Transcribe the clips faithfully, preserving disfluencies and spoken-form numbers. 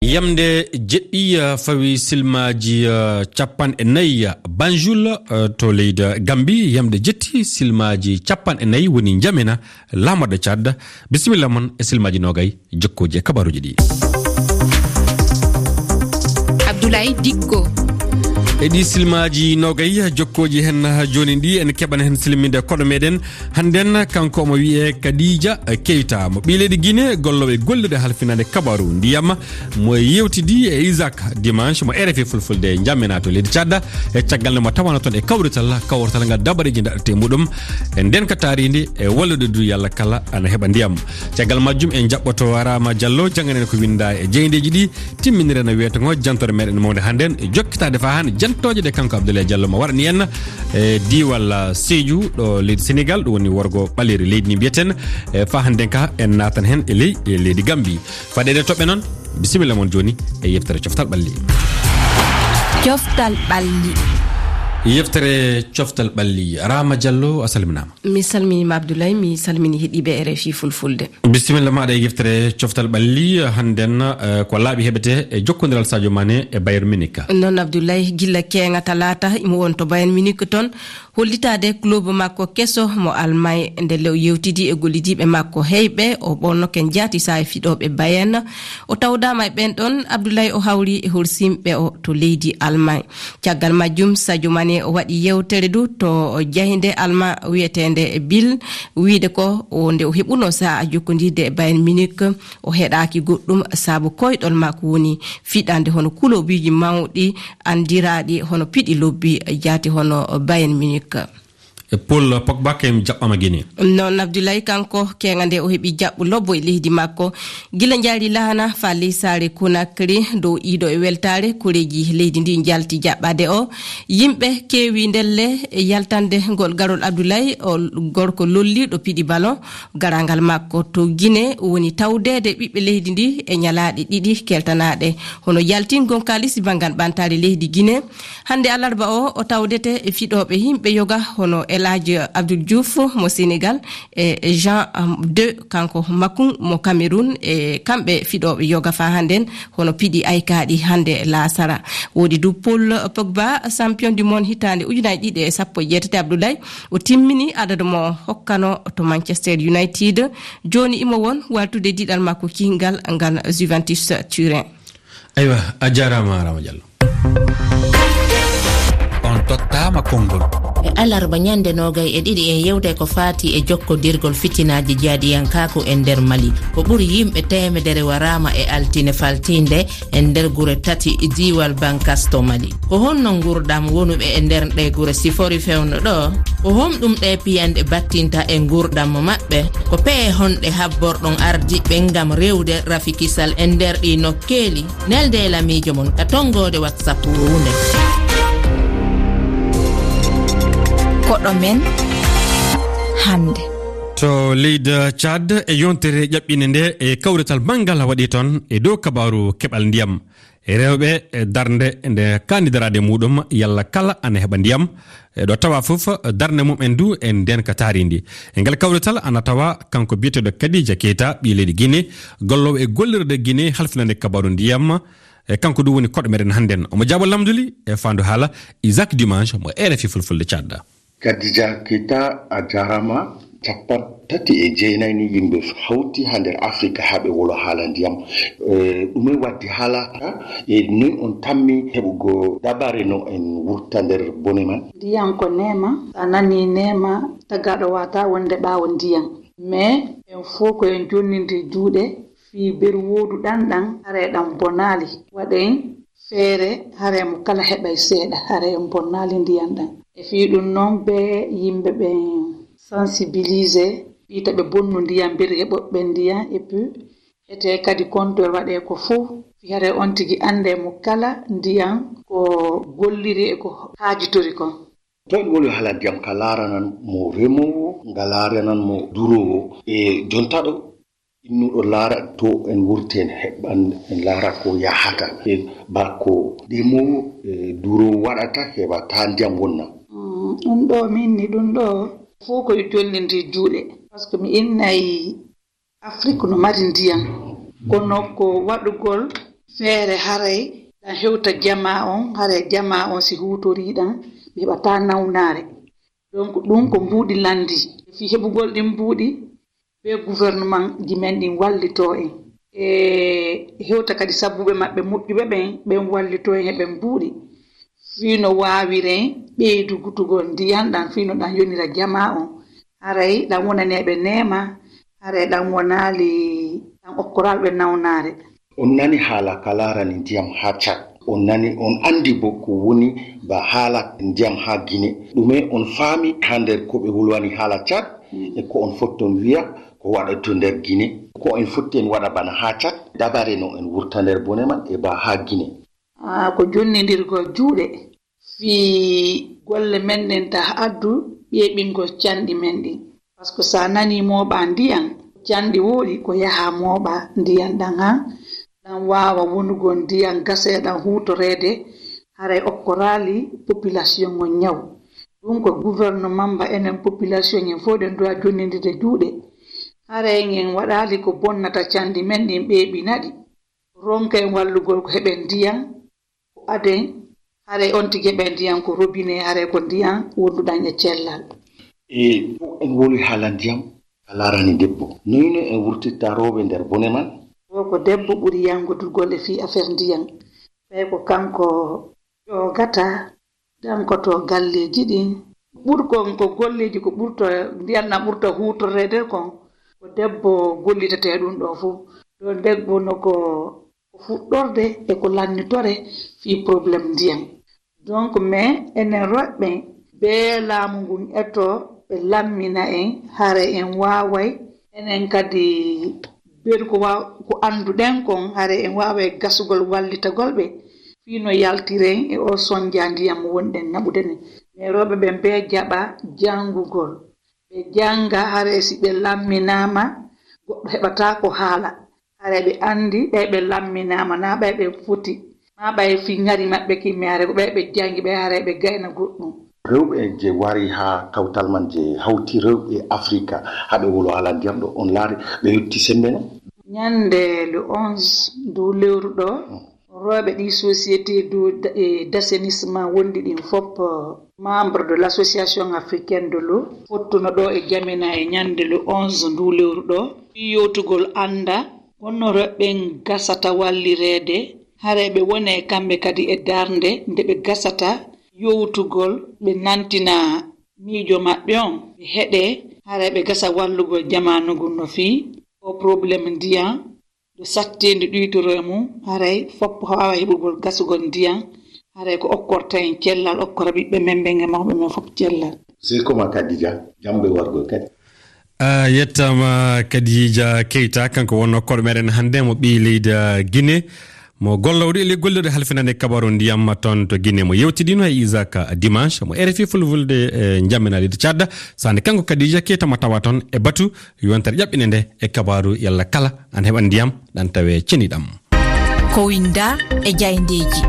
Yamde jeɗɗi, eh, fawi silmaaji, eh, capanɗe nayi, eh, Banjul, eh, to leydi Gambi. Yamde jetti silmaaji capanɗe nayi woni njamena laamorɗe Tchad. Bisimilla mon e silmaaji nogay, jokkooji e kabaruuji ɗi. Abdoulaye Dikko. E ɗi silmaaji nogay, jokkooji hen jooni ɗi, en keɓan hen silminde koɗo meɗen. Hannden kanko omo wiyee Kadija Keita, mo ɓii leydi Guinée, golloowo e gollirde halfinaande kabaru ndiyam, mo yewtidi e Isaac Dimanche, mo R F I Fulfulde jammina to leydi Tchad, e caggal nde mo tawana toon e kawrital, kawrital ngal dabareeji daɗete e muɗum, e ndeenka taariindi, e wallude du yalla kala ana heɓa ndiyam. Caggal majjum en jaɓɓoto Rama Diallo, jannganen ko winnda e jeyndeeji ɗi, timminire no wiyetee ngo jantore meɗen mawnde hannden, e jokkitaade faa han jantooje ɗe kanko Abdoulaye Diallo mo waɗani en, e diiwal, ah, Sédhiou, ɗo leydi Sénégal, ɗum woni worgo ɓaleeri leydi ni mbiyeten. E faa hannden ka en naatan hen e ley, e leydi Gambi. Fadeede toɓɓe noon, bisimilla mon jooni e yeftere Coftal Ɓalli. Coftal Ɓalli. Yeftere Coftal Ɓalli. Rama Diallo, a salminaama. Mi salminiima Abdoulaye, mi salmini heɗiiɓe R F I Fulfulde. Bisimilla maaɗa e yeftere Coftal Ɓalli. Hannden, eh, ko laaɓi heɓetee e jokkondiral Sadio Mané e Bayern Munich. Noon Abdoulaye, gilla keeŋa talaata imo won to Bayern Munich toon, hollitaade club makko keso mo Almay, nde le o yewtidi e gollidiiɓe makko heyɓe, o ɓonno ken jaati saa'i fiɗooɓe Bayern. O tawdaama e ɓeen ɗoon, Abdoulaye o hawri e horsimɓe o to leydi Almay. Caggal majjum, Sadio Mané o waɗi yewtere du to jaynde Almaa wiyeteende Bill, wiyde ko o, nde o heɓuno sa'a jokkondirde e Bayern Munich, o heɗaaki goɗɗum sabu koyɗol makko woni fiɗande hono kulobiiji mawɗi anndiraaɗi hono piɗi lobbi jaati hono Bayern Munich. E Paul Pogba kay jaɓɓaama Guinée. Noon Abdoulaye, kanko keeŋa nde o heɓi jaɓɓu lobbo e leydi makko. Gila njaari laana faa ley saare Conakry, dow iido e weltaare, koreeji leydi ndi njalti jaɓɓaade o. Yimɓe keewi ndelle e yaltande ngol garol Abdoulaye, o gorko lollirɗo piɗi ballon. Garaangal makko to Guinée woni tawdeede ɓiɓɓe leydi ndi e ñalaaɗe ɗiɗi keltanaaɗe, hono yaltingol kaalisi banngal ɓantaare leydi Guinée. Hannde alarba o, o tawdete e fiɗooɓe yimɓe yoga hono El Hadj Abdoul Diouf mo Sénégal e Jean deux, kanko Makung mo Cameroun, e kamɓe fiɗooɓe yoga faa hannden hono piɗi aykaaɗi hannde laasara. Woodi du Paul Pogba, champion du monde hitaande ujunaaji ɗiɗi e sappo e jeetati, Abdoulaye, o timmini adadu mo hokkano to Manchester United. Jooni imo won waltude diɗal makko kiinngal ngal Juventus Turin. Aywa, a jaaraama, Rama Diallo. On tottaama konngol. E alarba ñande nogay e ɗiɗi en yewtay ko faati e jokkodirgol fitinaaji jaaɗiyankaaku e nder Mali. Ko ɓuri yimɓe teemedere waraama e altine faltiinde e nder gure tati e diiwal Bankas to Mali. Ko honno nguurɗam wonuɓe e nder ɗee gure sifori fewndo ɗo? Ko honɗum ɗee piyanɗe battinta e nguurɗam maɓɓe? Ko pehe honɗe habborɗon ardiɓɓe ngam rewde rafi kisal e nder ɗii nokkeeli? Nelde e lamiijo mon ka tonngoode WhatsApp wownde. Koɗo men hannde. To leydi Tchad, e yontere ƴaɓɓinde nde e kawrital manngal waɗi toon e dow kabaaru keɓal ndiyam. E rewɓe, e darnde nde kaani daraade muɗum, yalla kala ana heɓa ndiyam. E ɗo tawa fof, darnde mum en du e ndeen ka taarindi. E ngal kawrital ana tawa kanko biyeteeɗo Kadija Keita, ɓii leydi Guinée, golloowo e gollirde Guinée halfinande kabaaru ndiyam. E kanko du woni koɗo meɗen hannden. Omo jaabo lamnduli e faandu haala Isaac Dimanche mo R F I Fulfulde Tchad. Kadija Keita, a jaaraama. Capanɗe tati e jeenayi ni yimɓe hawti haa nder Afrika haa ɓe wolo haala ndiyam. Eh, ɗume waddi haala ka? E noy on tammi heɓugo dabare no en wurta nder bone man? Ndiyam ko neema. A nani neema, tagaaɗo waata wonde ɓaawo ndiyam. Mais en fof ko en jonnindiri juuɗe fii berwoodu ɗan ɗan, hare ɗan bonaali. Waɗen feere, hare mo kala heɓay seeɗa, hare en bonnaali ndiyan ɗan. E fii ɗun non, be yimɓe ɓen sensibiliser, fii ta ɓe bonnu ndiyan, mbiri heɓoɓe ndiyan, et puis ete kadi contrôle waɗee ko fow, fii hare on tigi anndee mo kala ndiyan ko golliri e ko haajitori kon. To en woni haala ndiyam, ka laaranan mo remoowo, nga laaranan mo duroowo. E jonta ɗo, innuɗo laara to en wurti, en heɓan, en laara ko yahata. E ba ko demoowo, e, duroowo waɗata heɓa taa ndiyam wonna. Mm, ɗum ɗo min ni, ɗum ɗo fof ko e jollindir juuɗe. Parce que mi innay Afrik no mari ndiyam. Kono ko waɗugol Feere haray ɗan hewta jamaa on, haray jamaa on si huutorii ɗan, ɓe heɓataa nawnaare. Donc ɗun ko mbuuɗi lanndii. Fii heɓugol ɗin mbuuɗi, ɓe gouvernementji men ɗin wallitoo en. E hewta kadi sabbuɓe maɓɓe moƴƴuɓe ɓen, ɓen wallitoo en e ɓen mbuuɗi. Fii no waawiren ɓeydugutugol ndiyan ɗan, fii no ɗan yonira jamaa on. Haray ɗan wonaneeɓe neema, haray ɗan wonaali, ɗan okkoraali ɓe nawnaare. On nani haala ka laarani ndiyam haa Cad. On nani, on anndi bo ko woni ba haala ndiyam haa Gine. Ɗume on faami haa nder ko ɓe wolwani haala Cad? E ko on fotton wi'a ko waɗa to nder Gine? Ko en fotti en waɗa bana haa Cad? Dabare no en wurta nder bone man e ba haa Gine. Ah, ko jonnindirgol juuɗe. Fii golle men ɗen ta addu ɓeeɓingol canɗi men ɗin. Parce que sa nani mooɓa ndiyan, canɗi wooɗi ko yaha mooɓa ndiyan ɗan han, ɗan waawa wonugol ndiyan gaseeɗan huutoreede, haray okkoraali population on ñaw. Ɗun ko gouvernement ba enen population en fow ɗen duwa jonnindirde juuɗe. Haray en waɗaali ko bonnata canɗi men ɗin ɓeeɓina ɗi. Ronken wallugol ko heɓen ndiyan, ko aden, haray on tigi heɓen ndiyan ko robinet, haray ko ndiyan wonduɗan e cellal. E en woli haala ndiyam, a laarani debbo. Noyno en wurtitta rewɓe nder bone man? Wo ko debbo ɓuri yangodugol e fii affaire ndiyan. Ɓay ko kanko ƴoogata, dankoto galleeji ɗin. Ɓurkon ko golleeji ko ɓurta, ndiyan na ɓurta huutoreede kon. Ko debbo gollitetee ɗun ɗoo fow. Ɗoo debbo no ko ko fuɗɗorde e ko lannitore fii problème ndiyan. Donc, mais enen rewɓe, bee laamu ngun eto ɓe lammina en, haray en waaway, enen kadi, beru ko wa-, ko annduɗen kon, haray en waaway gasugol wallitagol ɓe, fii no yaltiren e oo sonja ndiyan mo wonɗen naɓude nden. Mais rewɓe ɓen bee jaɓa janngugol. Ɓe jannga, haray si ɓe lamminaama, goɗɗo heɓataa ko haala. Haray ɓe anndi, ɓay ɓe lamminaama, naa ɓay ɓe foti, maa ɓay fii ŋari maɓɓe kimmii, haray ko ɓay ɓe janngi, ɓay haray ɓe gayna goɗɗum. Rewɓe je wari haa kawtal man, je hawti rewɓe Afrika, haa ɓe wolo haala ndiyam ɗoo, on laari ɓe yotti sembe non? Ñannde le onze ndu lewru ɗoo, rewɓe ɗi société du, e, d'assainissement wonɗi ɗin fow, membre de l'association africaine de l'eau, fottuno ɗoo e Jamena e ñannde le onze ndu lewru ɗoo, fii yewtugol annda honno rewɓe ɓen gasata wallireede, haray ɓe wone kamɓe kadi e darnde nde ɓe gasata yewtugol, ɓe nantina miijo maɓɓe on, ɓe heɗee, haray ɓe gasa wallugol jamaanu ngun no fii oo problème ndiyan, ɗo satteendi ɗuytoro e mum, haray fow waawaa heɓugol gasugol ndiyan, haray ko okkorta en cellal, okkora ɓiɓɓe men ɓen e mawɓe men fow cellal. Sey ko ma Kadija, jamɓe wargol kadi. A yettaama Kadija Keita, kanko wonnoo koɗo meɗen hannde, mo ɓii leydi, ah, Guinée, mo gollowɗo e ley gollirde halfinande kabaru ndiyam toon to Guinée, mo yewtidiino e Isaac Dimanche, mo R F I Fulfulde, e Njamena leydi Tchad. Sande kanko Kadija Keita mo tawa toon e batu yontere ƴaɓɓinde nde e kabaaru yalla kala ana heɓa ndiyam ɗan tawe ceniɗam. Ko winda e jayndeeji.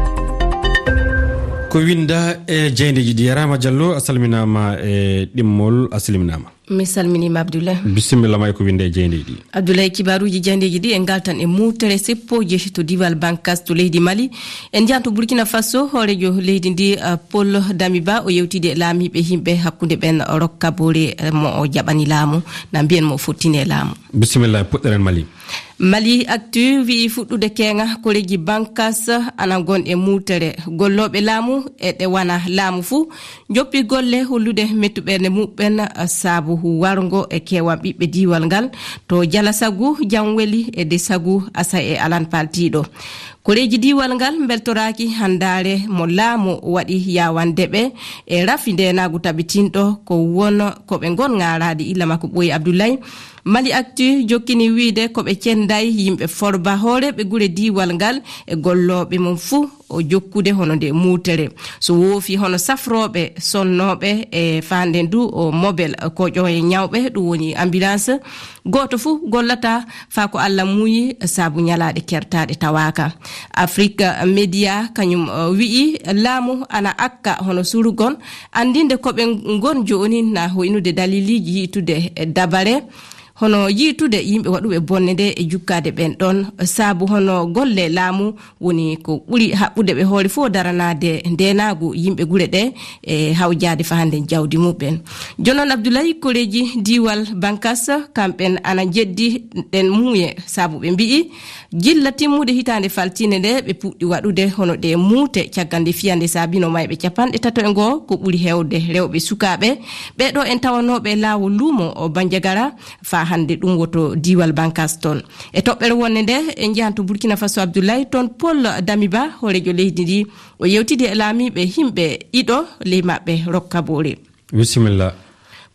Ko winda e jayndeeji ɗi. Yarama Diallo, a salminaama e ɗimmol, a salminaama. Mi salminiima Abdoulaye. Bisimilla ma e ko winda e jayndeeji ɗi. Abdoulaye, kibaaruuji jayndeeji ɗi en ngaltan e mutere seppo jeyi to diiwal Bankas to leydi Mali. En njahan to Burkina Faso, hooreejo leydi ndi, uh, Paul Damiba, o yewtidi e laamiiɓe yimɓe hakkunde ɓen rokka boore, eh, mo o jaɓani laamu, na mbiyen mo o fottini e laamu. Bisimilla, puɗɗoren Mali. Mali Actu wi'i fuɗɗude keeŋa koreeji Bankas ana gon e muutere. Gollooɓe laamu e ɗe wana laamu fuu njoppi golle hollude mettuɓerde muɓɓen saabu warngo e keewan ɓiɓɓe diiwal ngal to Jalasagu, Janweli e Desagu, Asa e Alan Paltiiɗo. Koreeji diiwal ngal mbeltoraaki handaare mo laamu waɗi yawande ɓe e rafi ndeenaagu tabitinɗo ko won ko ɓe ngon ŋaaraade illa makko ɓooyi Abdoulaye. Mali Actu jokkini wiide ko ɓe cenday yimɓe Forba, hooreeɓe gure diiwal ngal e gollooɓe mum fuu o jokkude hono nde muutere. So woofi hono safrooɓe sonnooɓe e faande ndu o mobel koƴooye ñawɓe, ɗum woni ambulance, gooto fuu gollata faa ko Allah muuyi saabu ñalaaɗe kertaaɗe tawaaka. Afrique Media kañum, uh, wi'i laamu ana akka hono surugon anndinde ko ɓe ngon jooni na hoynude daliliiji yi'itude e dabare. hono yiitude yimɓe waɗuɓe bonne nde e jukkaade ɓen ɗon, sabu hono golle laamu woni ko ɓuri haɓɓude ɓe hoore fof daranaade ndeenaagu yimɓe gure ɗe e hawjaade fahaande jawdi muɓɓen. Jonon Abdoulaye, koreeji diiwal Bankas, kamɓen ana njeddi ɗen muuye, sabu ɓe mbi'i, gilla timmude hitaande faltiinde nde, ɓe puɗɗi waɗude hono ɗe muute, caggal nde fiyande saabino mayɓe capanɗe tato e ngoo, ko ɓuri heewde rewɓe sukaaɓe. Ɓee ɗoo en tawanooɓe e laawol luumo o Banjagara, faa hannde ɗum woto diiwal Bankas toon. E toɓɓere wonde nde, en njahan to Burkina Faso, Abdoulaye, toon Paul Damiba, hooreejo leydi ndi, o yewtidi e laamiiɓe himɓe ɗiɗo ley maɓɓe rokka boore. Bisimilla.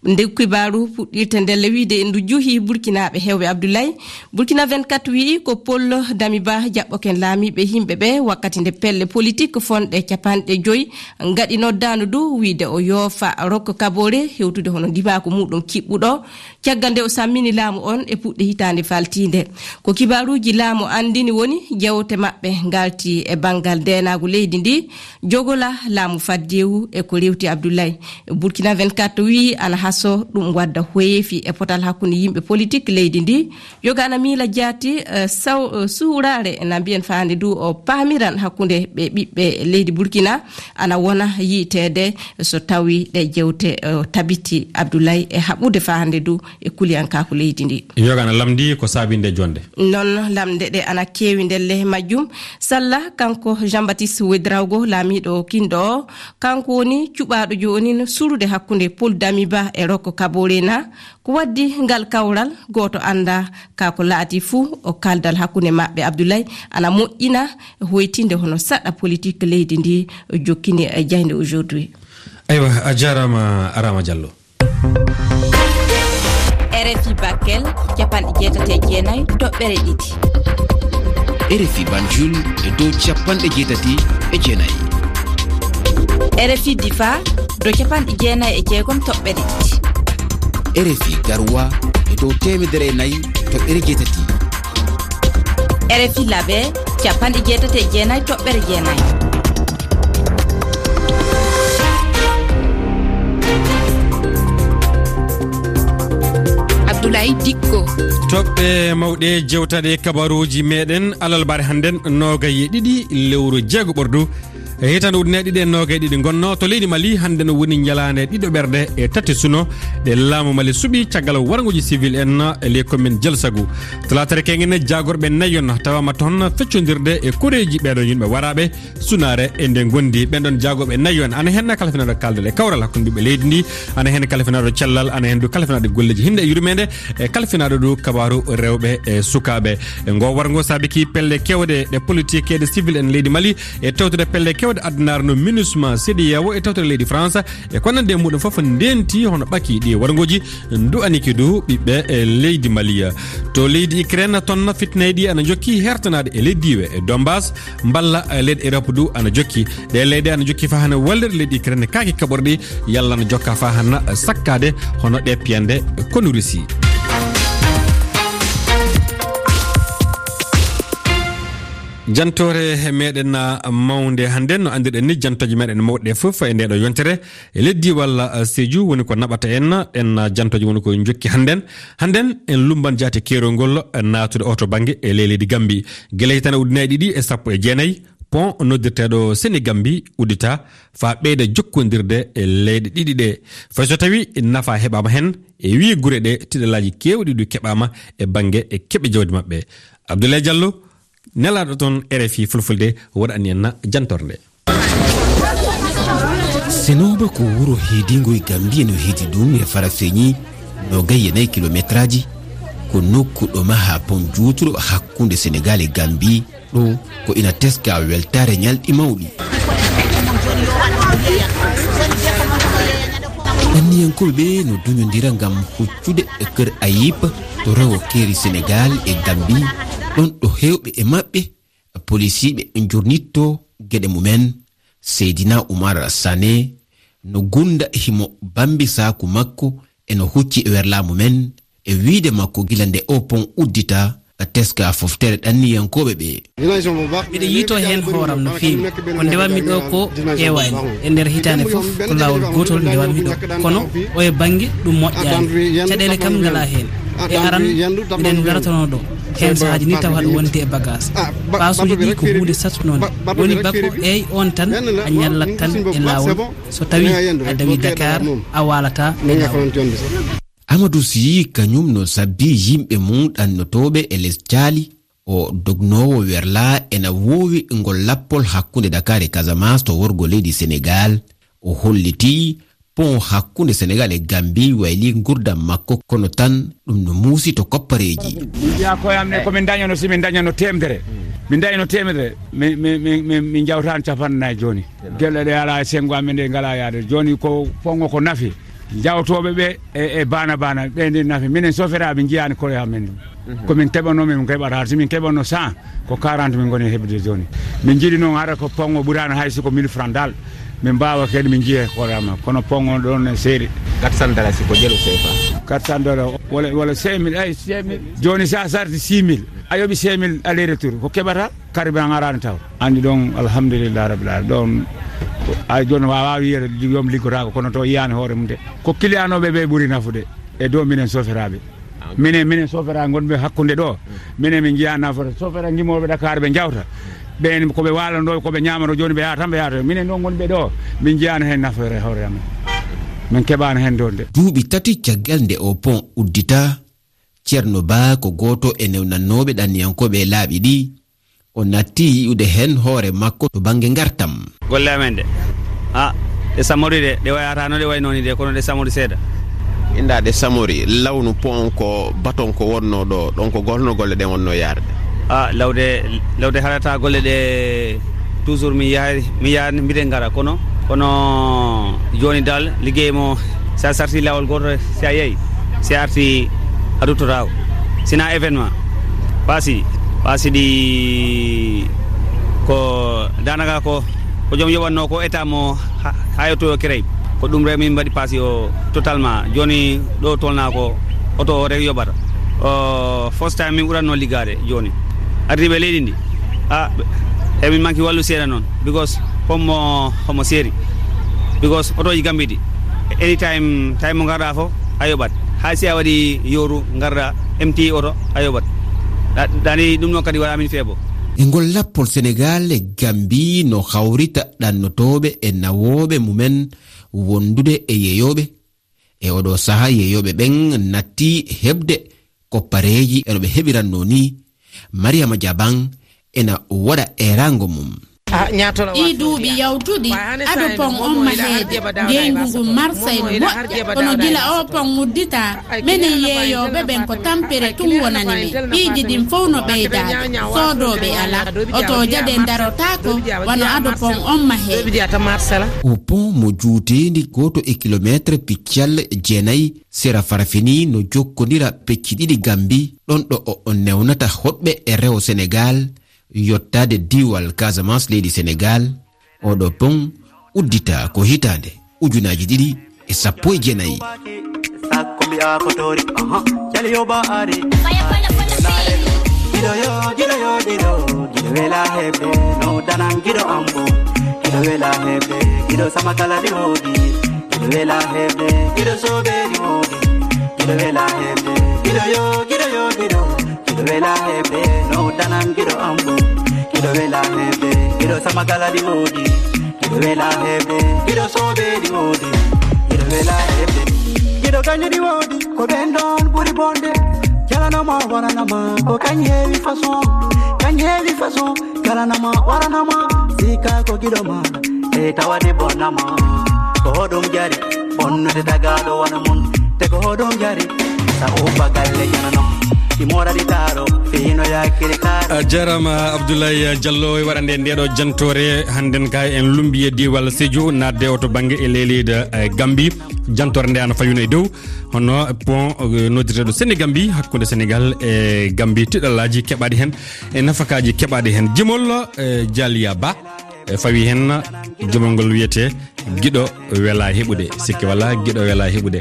Nde kibaaru puɗɗirte ndelle wiide ndu juhi Burkinaaɓe heewɓe, Abdoulaye. Burkina vingt-quatre wi'i ko Paul Damiba jaɓɓoken laamiiɓe himɓe ɓe wakkati nde pelle politik fonɗe capanɗe joyi ngaɗi noddaandu ndu wiide o yoofa rokka kaboore hewtude hono ndimaaku muɗum kiɓɓuɗo. Caggal nde o sammini laamu on e puɗɗe hitaande faltiinde. Ko kibaaruuji laamu anndini woni jewte maɓɓe ngalti e banngal ndeenaagu leydi ndi, jogola laamu faddeewu e ko rewti Abdoulaye. Burkina vingt-quatre wi'i ana haso ɗum wadda hoyeefi e potal hakkunde yimɓe politik leydi ndi. Yoga ana miila jaati, eh, saw-, eh, suuraare na mbiyen faande du o paamiran hakkunde ɓe ɓiɓɓe leydi Burkina ana wona yiiteede so tawi ɗe jewte, eh, tabiti Abdoulaye e haɓude faande du e kuliyankaaku leydi ndi. Yoga ana lamndi ko saabinde jonde. Non lamnde ɗe ana keewi ndelle majjum. Salla, kanko Jean-Baptiste Ouédraogo, laamiiɗo kinɗo o, kanko woni cuɓaaɗo jooni no surude hakkunde Paul Damiba e Roch Kaboré na. Ko waddi ngal kawral, gooto anndaa ka ko laati fuu, o kaldal hakkunde maɓɓe Abdoulaye ana moƴƴina, hoytinde hono saɗa politik leydi ndi, jokkini e jaaynde Aujourd'hui. Aywa, a jaaraama, Arama Diallo. R F I Bakel, capanɗe jeetati e jeenayi toɓɓere ɗiɗi. R F I Banjul e dow capanɗe jeetati e jeenayi. R F I Difa, dow capanɗe jeenayi e jeegom toɓɓere ɗiɗi. R F I Garoua e dow teemedere e nayi toɓɓere jeetati. R F I Labe, capanɗe jeetati e jeenayi toɓɓere jeenayi. Abdoulaye Dikko. Toɓɓe mawɗe jewtaɗe kabaruuji meɗen alarba hannden, noogay e ɗiɗi lewru jeego ɓordu. E hitaande ujunere ɗiɗi e noogay e ɗiɗi ngonno to leydi Mali, hannde no woni ñalaande ɗiɗo ɓerde e tati suno ɗe laamu Mali suɓi caggal warnguuji civil en e ley commune Dialsagout. Talaatere keñen jaagorɓe nayon tawaama toon feccondirde e koreeji ɓeeɗo yimɓe waraaɓe sunaare e nde ngondi. Ɓen ɗon jaagorɓe nayon ana heen kala finaaɗo kaldal e kawral hakkunde ɓiɓɓe leydi ndi, ana heen kala finaaɗo cellal, ana heen du kala finaaɗo golleeji hinnde e yurmeende, e kala finaaɗo du kabaaru rewɓe e sukaaɓe. E ngo warngo saabiki pelle keewɗe ɗe politique e ɗe civil en leydi Mali, e tawtude pelle keewɗe addunaare no MINUSMA, CEDEAO, e tawtude leydi France, e ko nandi e muɗum fof ndenti hono ɓaki ɗi warngoji, du'aniki du ɓiɓɓe e leydi Mali. To leydi Ukraine, toon fitinaaji ɗi ana jokki hertanaade e leydi diiwe e Donbass, mballa leyɗe Europe du ana jokki. Ɗe leyɗe ana jokki faa hana wallira leydi Ukraine kaaki kaɓorɗi, yalla ana jokka faa hana sakkaade hono ɗe piyande konu Russie. Jantoore meɗen mawnde hannden, no anndirɗen ni, jantooje meɗen mawɗe fof e nde ɗo yontere e leydi walla, eh, Sédhiou woni ko naɓata en, en, eh, jantooje woni ko jokki hannden. Hannden en lumban jaate keerol ngol, eh, naatude oto bannge e ley leydi Gambie. Gila hitande ujunnaji ɗiɗi e sappo e jeenayi, pont noddirteeɗo Sénégambie uddita faa ɓeyda jokkondirde e leyɗe ɗiɗi ɗe. Fay so tawi nafa heɓaama heen, e wii gure ɗe tiɗalaaji keewɗi ɗi keɓaama e bannge e keɓe jawdi maɓɓe. Abdoulaye Diallo, nelaaɗo toon R F I Fulfulde, waɗani en na jantorde. Senooba ko wuro heedingo e Gambie, no heedi ɗum e Farafeñi, noogay e nayi kilometraaji. Ko nokku ɗo maha pont juutuɗo hakkunde Senegal e Gambie. Ɗo ko ina teska weltaare ñalɗi mawɗi. Anniyankooɓe ɓe no duñondira ngam huccude e Kër Ayib to rewo keeri Senegal e Gambie, ɗon ɗo heewɓe e maɓɓe polisiiɓe njurnitto geɗe mumen. Seydina Oumar Sané no gunda himo bambi saaku makko e no hucci e werlaamu men e wiide makko gila nde o pont uddita teska foftere ɗanniyankooɓe ɓe. Miɗo yiito heen hooram no feewi. Ko ndewammi ɗo ko ƴeewaani. E nder hitaande fof ko laawol gootol ndewammi ɗo. Kono o e bannge ɗum moƴƴaani. Caɗeele kam ngalaa heen. E aran, miɗen ngaratano ɗo. Heen sahaaji ni tawa haɗa wonde e bagage. Paasuuji ɗi ko huunde sattunonde. Woni bako eey on tan a ñallat tan e laawol. So tawi a dawi Dakar, a waalata e laawol. Amadou Sy kañum no sabbi yimɓe mum ɗannotooɓe e les caali. O dognoowo werlaa ena woowi ngol lappol hakkunde Dakar e Casamance to worgo leydi Senegaal. O hollitii pont hakkunde Senegaal e Gambie wayli ngurdam makko, kono tan ɗum no muusi to koppareeji. Mbiya koye am ne, ko min dañano, si min dañano teemedere, min dañano teemedere, min, min, min, min, min njawtaan capanɗe nayi jooni. Gelle ɗe alaa e senngo amen, ɗe ngalaa yaade. Jooni ko pont o ko nafi. Jawtooɓe ɓe e, e baana baana, ɓe ndi nafi. Minen soferaaɓe njiyaani koye amen. Ko min keɓanoo, min keɓata. Si min keɓanoo cent, ko quarante min ngoni heɓde jooni. Min njiɗi noon hara ko pont o ɓuraano hay si ko mille francs dal. Min mbaawa kadi min njiya hoore amen. Kono pont o ɗoon ne seeri. Quatre cents dalasi ko jelu C F A. Quatre cents dollars, wala, wala cinq mille, ay, cinq mille. Jooni sa sarti six mille, a yoɓi cinq mille aller retour. Ko keɓata? Carburant araani taw. Anndi ɗoon, alhamdulillah rabbil alamin. Ɗoon, ay, jooni waawaa wiyeede joom liggotaako, kono to yiyaani hoore mum de. Ko kiliyanooɓe ɓe ɓuri nafude e dow minen soferaaɓe. Minen, minen soferaaɓe ngonɓe hakkunde ɗo. Minen min njiyaa nafoore. Sofera ngimooɓe Dakar ɓe njawta. Ɓeen ko ɓe waalandoo, ko ɓe ñaamanoo, jooni ɓe yaha tan ɓe yaha. Minen ɗoon ngonɓe ɗo, min njiyaani heen nafoore hoore amen. Min keɓaani heen ɗoon de. Duuɓi tati caggal nde o pont uddita, Ceerno Ba ko gooto e newnannooɓe ɗanniyankooɓe e laaɓi ɗi. O natti yi'ude heen hoore makko to bannge ngartam. Golle amen ɗe, a, ɗe samori de, ɗe wayata no ɗe waynoo ni de, kono ɗe samori seeɗa. Inda ɗe samori, lawnu pont ko baton ko wonnoo ɗo, ɗon ko golno golle ɗen wonnoo yaarde? A, lawde, lawde harata golle ɗe, toujours mi yahay, mi yahay, mbiɗen ngara, kono, kono jooni dal, liggey mo, sa sarti laawol gooto, si a yehi, si a arti, a ruttotaako. Sina événement. Paasi, paasi ɗi ko daanaka ko, ko joom yoɓatnoo ko état mo ha, ha yetto o créé. Ko ɗum rek min mbaɗi paasi o totalement. Jooni ɗo tolnaa ko oto o rek yoɓata. O, first time min ɓuratnoo liggaade jooni. Ardiiɓe leydi ndi, a, emin manki wallu seeɗa noon. Because homo, homo seeri. Because otooji Gambie ɗi, anytime, time mo ngarɗaa fof, a yoɓat. Hay si a waɗi yooru, ngarɗaa, M T oto, a yoɓat. Ɗa-, ɗani ɗum noon kadi waɗa min feebo. E ngol lappol Senegaal e Gambie no hawrita ɗannotooɓe e nawooɓe mumen wondude e yeyooɓe. E oɗo saha yeyooɓe ɓen natti heɓde koppareeji eno ɓe heɓirannoo ni. Mariama Jaban ena waɗa eeraango mum. Ɗii duuɓi yawtuɗi, ado pon on maheede, ngenngu ngun Marseille no moƴƴa. Kono gila oo pon udditaa, menen yeeyooɓe ɓen ko tampere tun wonani men. Piiji ɗin fow no ɓeydaade, soodooɓe alaa. Otooje ɗen darotaako, wano ado pon on maheede. O pon mo juuteendi gooto e kilomeetre piccal jeenayi, sera Farafini no jokkondira pecci ɗiɗi Gambi, ɗon ɗo o, o newnata hoɗɓe e rewo Senegaal, yottaade diiwal Casamance leydi Senegaal. Oɗo pon uddita ko hitaande ujunaaji ɗiɗi e sappo e jeenayi. Sakko mbi'a ko tori, aha, cali yo ba are. Gido yo, gido yo, gido, gido wela hebe, no danan gido ambo. Gido wela hebe, gido sama kala di hodi. Gido wela hebe, gido sobe di hodi. Gido wela hebe, gido yo, gido yo, gido. Gido wela hebe, no danan gido ambo. Gido wela hebe, gido sama kala di hodi. Gido wela hebe, gido sobe di hodi. Gido wela hebe, gido ganyo di hodi. Ko ɓen ɗon ɓuri bonde. Jalanama waranama, ko kañ heewi façon. Kañ heewi façon, jalanama waranama. Sika ko giɗo ma, e tawade bonnama. Ko hoɗum jari, bonnude tagaaɗo wano mun. Te ko hoɗum jari, sa ubba galle janano. Si moradi taaro, fino yakiri kaaro. A jarama Abdoulaye Diallo e waɗande ndeɗo jantore. Hannden ka en lumbi e diiwal Sédhiou, nadde o to bangge e leydi, eh, Gambie. Jantore nde ana fayuno e dow hono pont, eh, noddirteɗo Sénégambi, hakkunde Sénégal e Gambi, tiɗallaaji keɓaaɗi heen e nafakaaji keɓaaɗi heen. Jimol, eh, Jalia Ba, eh, fawi heen jimol ngol wiyetee Giɗo Wela Heɓude. Sikke wala, Giɗo Wela Heɓude.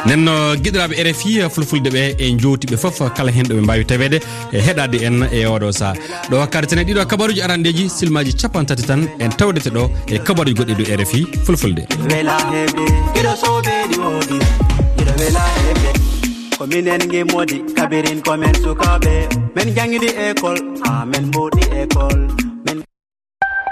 Nden no giɗiraaɓe R F I Fulfulde ɓe e jowtiɓe fof, kala heen ɗo ɓe mbaawi taweede e heɗaade en e oɗo saha. Ɗo wakkati tene ɗiɗo kabaruuji arandeeji, silmaaji cappanɗe tati tan en tawdete ɗo e kabaruuji goɗɗi dow R F I Fulfulde. Wela heɓde, giɗo sobeeɗi woodi, giɗo wela heɓde. Ko minen ngi modi kabirin ko men sukaaɓe. Men jangidi école, ha men mboɗi école.